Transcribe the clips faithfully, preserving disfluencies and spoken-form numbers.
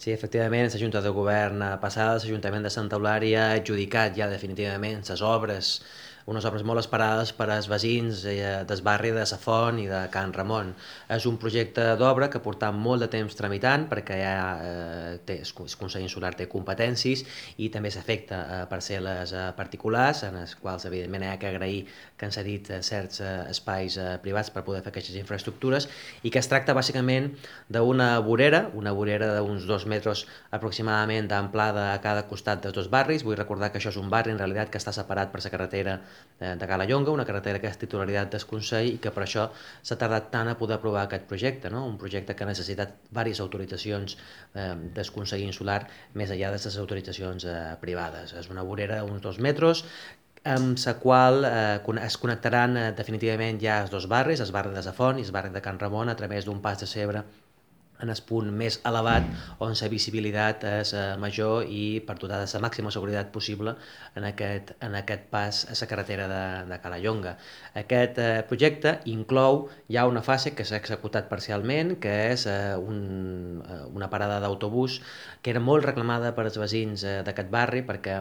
Sí, efectivament, la Junta de Govern eh, passada, l'Ajuntament de Santa Eulària ha adjudicat ja definitivament les obres, unes obres molt esperades per als veïns eh, del barri de Sa Font i de Can Ramon. És un projecte d'obra que porta molt de temps tramitant perquè ja eh, té, el Consell Insular té competències i també s'afecta a parcel·les eh, particulars, en les quals evidentment hi ha que agrair que han cedit eh, certs eh, espais eh, privats per poder fer aquestes infraestructures i que es tracta bàsicament d'una vorera, una vorera d'uns dos metres aproximadament d'amplada a cada costat dels dos barris. Vull recordar que això és un barri en realitat que està separat per la carretera de Calallonga, una carretera que és titularitat del Consell i que per això s'ha tardat tant a poder aprovar aquest projecte, no? Un projecte que ha necessitat diverses autoritzacions eh, del Consell Insular més enllà de les autoritzacions eh, privades. És una vorera d'uns dos metres amb la qual eh, es connectaran eh, definitivament ja els dos barris, el barri de Sa Font i el barri de Can Ramon, a través d'un pas de cebre en el punt més elevat on la visibilitat és eh, major i per dotar de la màxima seguretat possible en aquest, en aquest pas a la carretera de, de Calallonga. Aquest eh, projecte inclou ja una fase que s'ha executat parcialment, que és eh, un, eh, una parada d'autobús que era molt reclamada per als veïns eh, d'aquest barri perquè,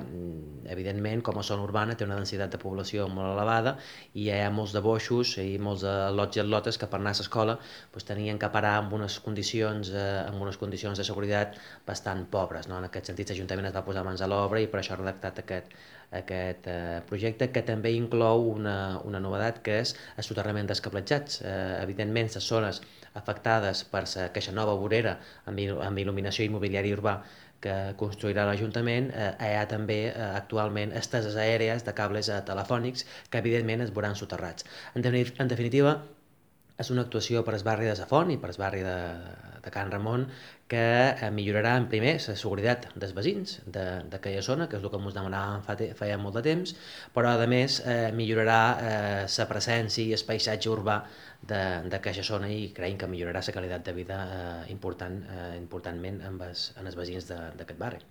evidentment, com a zona urbana té una densitat de població molt elevada i hi ha molts de boixos i molts de lots i atlotes que per anar a l'escola doncs, tenien que parar amb unes condicions, eh, amb unes condicions de seguretat bastant pobres. No? En aquest sentit, l'Ajuntament es va posar mans a l'obra i per això ha redactat aquest, aquest eh, projecte, que també inclou una, una novedat, que és el soterrament dels cablejats. Eh, evidentment, les zones afectades per aquesta nova vorera amb, amb il·luminació immobiliària urbà que construirà l'Ajuntament, eh, hi ha també eh, actualment esteses aèries de cables eh, telefònics que evidentment es veuran soterrats. En, en definitiva, és una actuació per al barri de Sa Font i per al barri de, de Can Ramon que eh, millorarà en primer la seguretat dels veïns d'aquella zona, que és el que ens demanàvem fa, feia molt de temps, però a més eh, millorarà eh, la presència i el paisatge urbà d'aquesta zona i creiem que millorarà la qualitat de vida eh, important, eh, importantment amb els, en els veïns d'aquest barri.